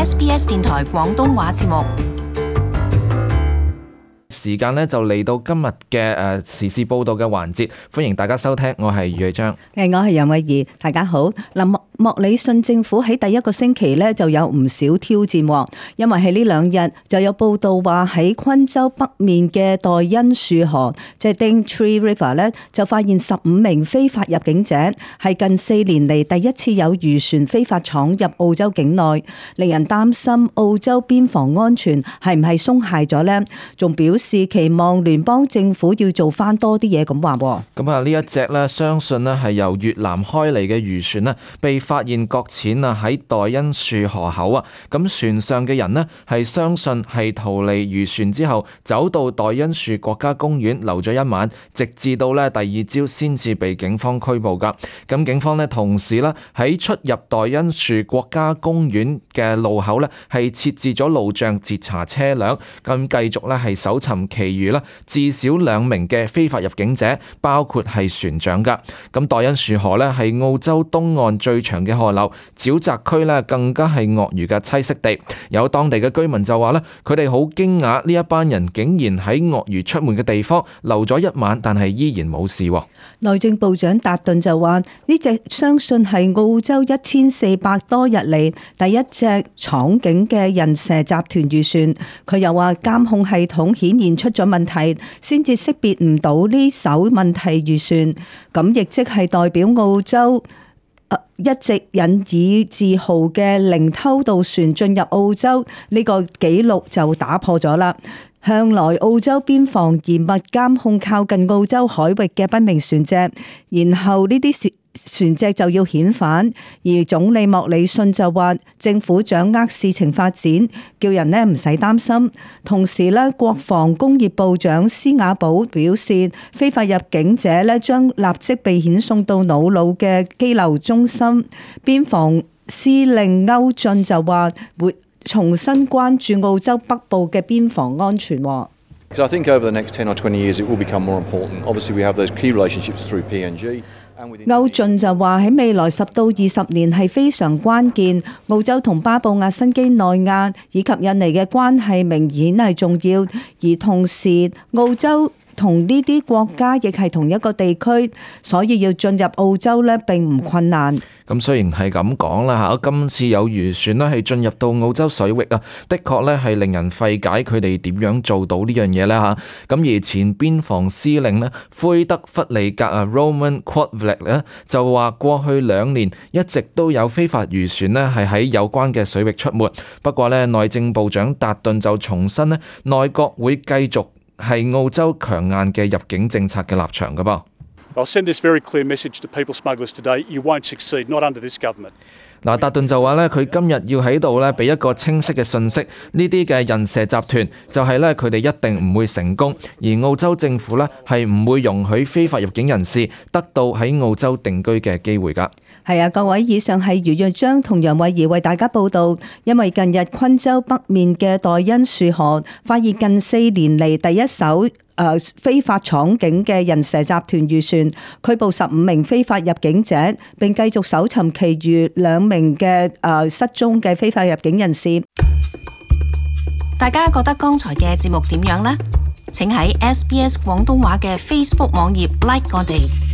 SBS 電台廣東話節目。時間呢就嚟到今日嘅時事報道嘅環節，歡迎大家收聽，我係余偉章。我係楊慧儀，大家好。莫里遜政府喺第一個星期呢就有唔少挑戰，因為喺呢2日就有報道話喺昆州北面嘅代恩樹河，即係 Daintree River 呢，就發現15名非法入境者，係近4年嚟第一次有漁船非法闖入澳洲境內，令人擔心澳洲邊防安全係唔係鬆懈咗呢？仲表示期望聯邦政府要做翻多啲嘢咁話。咁啊，呢一隻呢，相信呢係由越南開嚟嘅漁船呢，被發現擱淺啊喺代恩樹河口啊。咁船上嘅人呢，係相信係逃離漁船之後，走到代恩樹國家公園留咗一晚，直至到呢第二朝先至被警方拘捕噶。咁警方呢，同時呢喺出入代恩樹國家公園嘅路口呢，係設置咗路障截查車輛，咁繼續呢係搜尋其餘啦至少2名嘅非法入境者，包括係船長噶。咁代恩樹河呢，係澳洲東岸最長嘅河流，沼澤區呢更加係鱷魚嘅棲息地。有當地嘅居民就話呢，佢哋好驚訝呢一班人竟然喺鱷魚出沒嘅地方留咗一晚，但係依然冇事。內政部長達頓就話呢隻相信係澳洲1400多日嚟第一隻闖境嘅人蛇集團漁船。佢又話監控系統顯現出咗問題，先至識別唔到呢艘問題漁船。咁亦即係代表澳洲一直引以自豪嘅零偷渡船進入澳洲呢個紀錄就打破咗啦。向來澳洲邊防嚴密監控靠近澳洲海域嘅不明船隻，然後呢啲船隻就要遣返，而總理莫里遜就話政府掌握事情發展，叫人呢唔使擔心。同時呢，國防工業部長施瓦寶表示，非法入境者呢將立即被遣送到瑙魯嘅羈留中心。邊防司令歐俊就話會重新關注澳洲北部嘅邊防安全。I think over the next 10 or 20 years it will become more important. Obviously we have those key relationships through PNG. 歐俊就話喺未來10到20年係非常關鍵，澳洲同巴布亞新畿內亞以及印尼嘅關係明顯係重要，而同時澳洲同呢啲國家亦係同一個地區，所以要進入澳洲呢並唔困難。咁雖然係咁講啦嚇，今次有漁船呢係進入到澳洲水域啊，的確呢係令人費解佢哋點樣做到呢樣嘢呢嚇。咁而前邊防司令呢，灰德弗利格啊 Roman Quadvlick 呢就話過去2年一直都有非法漁船呢係喺有關嘅水域出沒。不過呢，內政部長達頓就重申呢，內閣會繼續係澳洲強硬嘅入境政策嘅立場㗎噃。I'll send this very clear message to people smugglers today. You won't succeed, not under this government. 嗱，達頓就話咧，佢今日要喺度咧俾一個清晰嘅信息，呢啲嘅人蛇集團就係咧佢哋一定唔會成功，而澳洲政府咧係唔會容許非法入境人士得到喺澳洲定居嘅機會㗎。係啊，各位，以上係余若章同楊慧儀為大家報道。因為近日昆州北面嘅代恩樹河發現近4年嚟第一艘非法闖境嘅人蛇集團漁船，拘捕15名非法入境者，並繼續搜尋其餘2名嘅失蹤嘅非法入境人士。大家覺得剛才嘅節目點樣呢？請喺SBS 廣東話嘅 Facebook 網頁 like 我哋。